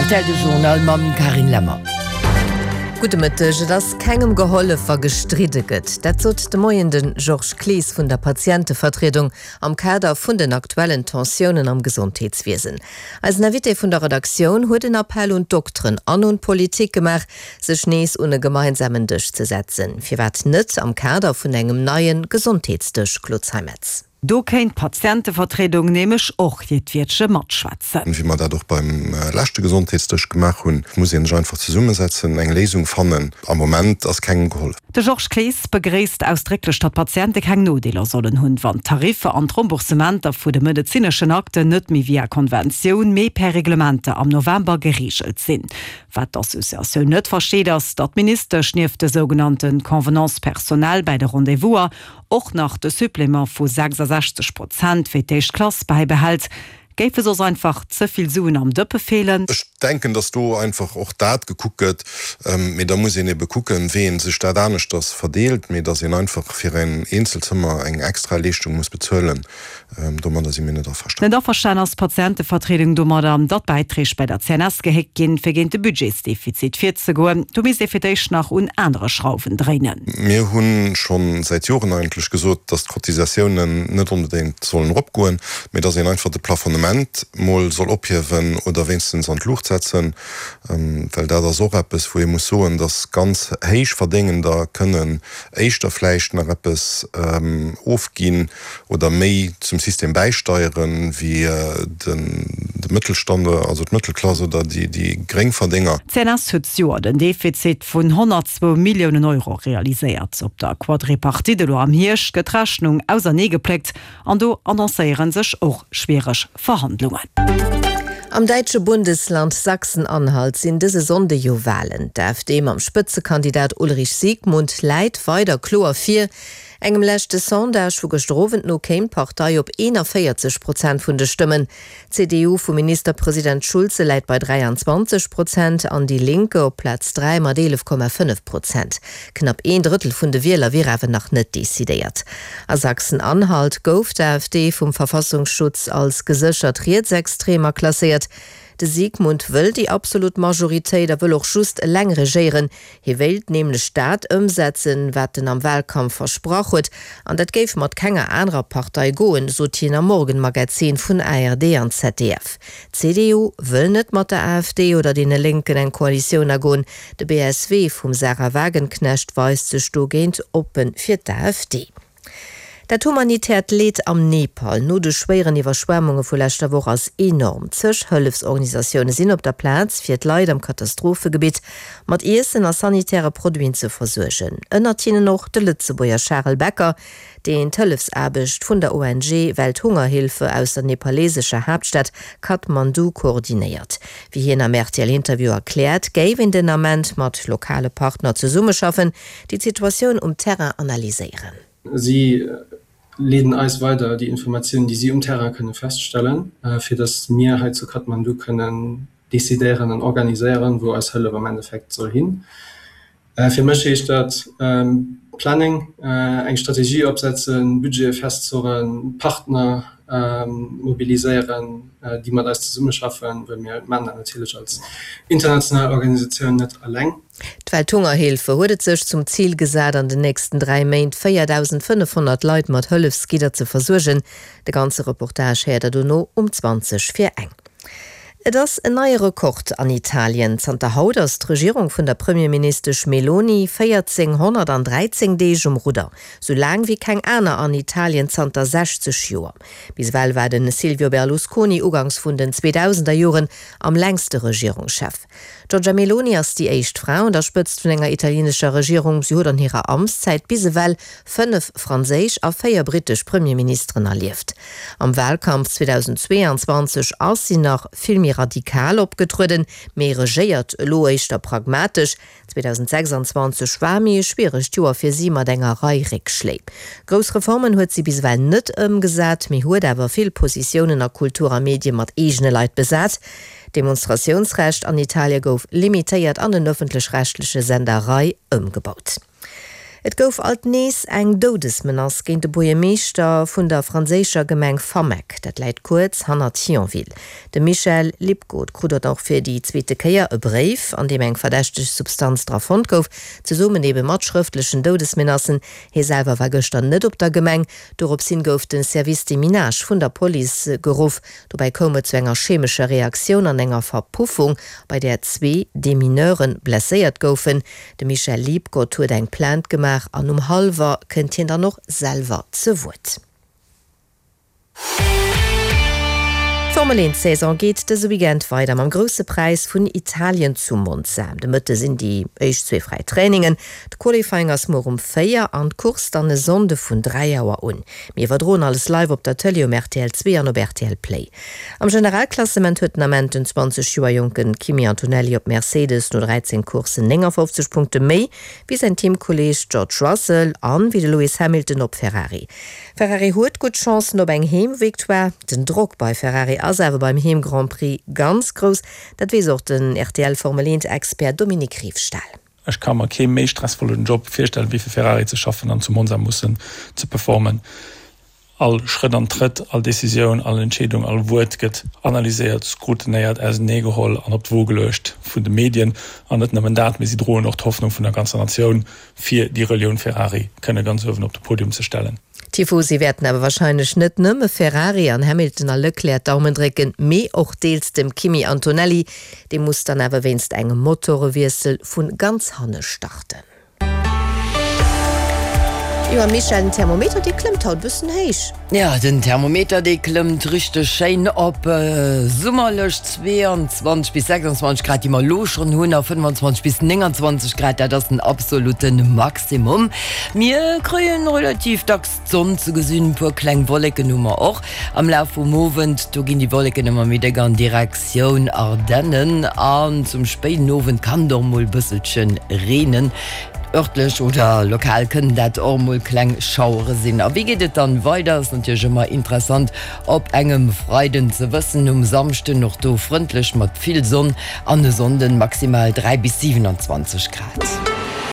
Rtl De Journal mam Carine Lemmer. Gudde Mëtteg. Et ass kengem gehollef, wa gestridde gëtt. Dat sot de Moien de Georges Clees vun der Patientevertriedung am Kader vun den aktuellen Tensiounen am Gesondheetswiesen. Eisen Invité vun der Redaktioun huet en Appell un d'Dokteren an un d'Politik gemaach, sech nees un e gemeinsamen Dësch ze setzen. Firwat net am Kader vun engem neie Gesondheetsdësch, Claude Zeimetz? Do kéint d'Patientevertriedung nämlech och hiert Wiertche matschwätzen. Wéi mer dat och beim leschte Gesondheetsdësch gemaach hunn, muss ee sech einfach zesummesetzen, eng Léisung fannen. Am Moment ass kengem gehollef. De Georges Clees begréisst ausdrécklech, datt d'Patiente keng Nodeeler sollen hunn, wann d'Tariffer an d'Remboursementer vu de medezineschen Akten net méi via Konventioun, mee per Reglementer am November gereegelt sinn. Wat d'Associatioun net versteet, ass, datt d'Ministesch nieft de sougenannte Convenances personnelles bäi de Rendez-vouser och nach de Supplément vu 66 Prozent fir d'éischt Klass bäibehält, géife soss einfach ze vill Suen am Dëppe feelen. Ech denken, datt do einfach och dat gekuckt gëtt, mee da muss een ebe kucken, wéi ee sech dat aneschters verdeelt, mee datt een einfach fir en Eenzelzëmmer eng extra Leeschtung muss bezuelen, Domadder si mir net averstanen. Net averstan ass d'Patientevertriedung domadder, datt d'Bäiträg bei der CNS gehéckt ginn, fir géint de Budgetsdefizit virzegoen. Do misst ee fir d'éischt nach un anere Schrauwen dréinen. Mir hu scho säit Joren eigentlech gesot, datt d'Cotisatiounen net onbedéngt sollen eropgoen, mee datt een einfach de Plafonnement mol soll ophiewen oder wéinstens an d'Luucht setzen, well dat ass och eppes, wou ee muss soen, datt ganz Héichverdéngender kënnen éischter vläicht nach eppes ofginn, oder méi zum System bäisteieren, wéi de Mëttelstand, also d'Mëttelklass oder déi Gréngverdénger. D'CNS huet d'Joer den Defizit vun 102 Milliounen Euro realiséiert. Op der Quadripartite elo am Hierscht gëtt d'Rechnung auserneegepléckt an do annoncéiere sech och schwiereg Verhandlungen. Am däitsche Bundesland Sachsen-Anhalt sinn dëse Sonnde jo Walen. D'AfD mam Spëtzekandidat Ulrich Siegmund läit weider kloer vir. Engem leschte Sondage vu gëschter Owend no kéim d'Partei op 41 Prozent vun de Stëmmen. D'CDU vum Ministerpresident Schulze läit bei 23 Prozent an Die Linke op Plaz 3 mat 11,5 Prozent. Knapp een Drëttel vun de Wieler wier awer nach net decidéiert. A Sachsen-Anhalt gouf d'AfD vum Verfassungsschutz als geséchert rietsextrem aklasséiert. De Siegmund wëll déi absolut Majoritéit a wëll och just eleng regéieren. Hie wéilt nämlech dat ëmsetzen, wat en am Wahlkampf versprach huet, an dat géif mat kenger anerer Partei goen, sot hien am Morgenmagazin vun ARD an ZDF. D'CDU wëll net mat der AfD oder deene Lénken eng Koalitioun agoen. De BSW vum Sahra Wagenknecht weist sech dogéint oppe fir d'AfD. Dat humanitäert Leed am Nepal no de schwéieren Iwwerschwemmunge vu leschter Woch ass enorm. Zeg Hëllefsorganisatioune sinn op der Plaz, fir d'Leit am Katastrophegebitt mat Iessen a sanitäre Produiten ze versuergen. Ënnert hinnen och de Lëtzebuerger Charel Becker, deen d'Hëllefsaarbecht vun der ONG Welthungerhilfe aus der nepalesescher Haaptstad Kathmandu koordinéiert. Wéi hien am RTL-Interview erkläert, géif een den Ament mat lokale Partner zesummeschaffen, déi d'Situatioun um Terrain analyséieren. Si leeden eis weider déi Informatiounen, déi si um Terrain kënne feststellen, fir datt mir hei zu Kathmandu kënnen decidéieren an organiséieren, wou eis Hëllef am Endeffekt soll hin. Fir mech heescht dat Planning, eng Strategie opsetzen, Budgete festzurren, Partner mobiliséieren, déi mat eis zesummeschaffen, well mir maachen dat natierlech als international Organisatioun net eleng. D'Welthungerhilfe huet et sech zum Zil gesat, an den nächsten 3 Méint 4.500 Leit mat Hëllefsgidder ze versuergen. De ganze Reportage héiert der dono um 20 vir eng. Et ass en neie Rekord an Italien. Zanter haut ass d'Regierung vun der Premierministesch Meloni 1413 Deeg um Rudder, sou laang wéi keng aner an Italien zanter 60 Joer. Bis ewell war de Silvio Berlusconi uganks vun den 2000er Joren am längste Regierungschef. D'Giorgia Meloni ass déi éischt Fra un der Spëtzt vun enger italienescher Regierung. Si huet an hirer Amtszäit bis ewell 5 franséisch a 4 brittesch Premierministeren erlieft. Am Walkampf 2022 ass si nach vill méi radikal opgetrueden, mee regéiert elo éischter pragmatesch. 2026 war méi e schwieregt Joer fir si mat enger Rei Réckschléi. Grouss Reformen huet si bis ewell net ëmgesat, mee huet awer vill Positiounen a Kultur a Medie mat eegene Leit besat. D'Demonstratiounsrecht an Italie gouf limitéiert an den ëffentlech-rechtleche Sender Rai ëmgebaut. Et gouf alt nees eng Doudesmenace géint de Buergermeeschter vun der franséischer Gemeng Fameck. Dat läit kuerz hannert Thionville. De Michel Liebgoth krut och fir déi zweete Kéier e Bréif, an deem eng verdächteg Substanz dra fonnt gouf, zesummen ebe mat schrëftlechen Doudesmenacen. Hie selwer war gëschter net op der Gemeng. Dorops hin gouf de Service Deminage vun der Police geruff. Dobäi koum et zu enger chemescher Reaktioun an enger Verpuffung, bei där zwee Demineure blesséiert goufen. De Michel Liebgott huet eng Plainte gemaach an um hallwer kënnt hien dann och selwer ze Wuert. D'Formel 1 Saison geet dëse Weekend weider mam Grousse Präis vun Italien zu Monza. De Mëtte sinn déi éischt zwee fräi Trainingen. De Qualifying ass muer um 4 an d'Course dann e Sonnde vun 3 Auer un. Mir iwwerdroen alles live op der Tëlee um rtl 2 an op rtl Play. Am Generalklassement huet den Ament den 20 Joer jonke Kimi Antonelli op Mercedes no 13 Courssen 59 Punkte méi wéi säin Teamkolleeg George Russell an wéi de Lewis Hamilton op Ferrari. Ferrari huet gutt Chancen op eng Heemvictoire. Den Drock bei Ferrari ass awer beim Heem-Grand Prix ganz grouss. Dat weess och den RTL-Formel 1 Expert Dominique Riefstahl. Ech ka mer kee méi stressvollen Job virstellen, wéi fir Ferrari ze schaffen an zu Monza mussen ze performen. All Schrëtt an Trëtt, all Decisioun, all Entscheedung, all Wuert gëtt analyséiert, scrutinéiert, auseneegeholl an op d'Wo geluecht vun de Medien. An net nëmmen dat, mee si droen och d'Hoffnung vun der ganzer Natioun, fir déi Relioun Ferrari kënne ganz uewen op de Podium ze stellen. D'Tifosi wäerten awer warscheinlech net nëmme Ferrari an Hamilton a Leclerc d'Daumen drécken, mee och deels dem Kimi Antonelli. Dee muss dann awer wéinst engem Motorewiessel vu ganz hanne starten. Jo a Michèle, den Thermometer dee klëmmt haut bëssen héich. Jo, den Thermometer dee klëmmt richteg schéin op summerlech 22 bis 26 Grad, déi mer elo schonn hunn, a 25 bis 29 Grad, dat ass den absolute Maximum. Mir kréien relativ dacks d'Sonn ze gesinn, e puer kleng Wolleken hu mer och am Laf vum Owend. Do ginn déi Wolleken ëmmer méi déck an Direktioun Ardennen an zum spéiden Owend kann et och mol e bësselche reenen. Örtlech oder lokal kënnen dat och mol kleng Schauere sinn. A wéi geet et dann weider, ass natierlech ëmmer interessant op engem Freiden ze wëssen. Um Samschden och do frëndlech mat vill Sonn an e Sonnden maximal 3 bis 27 Grad.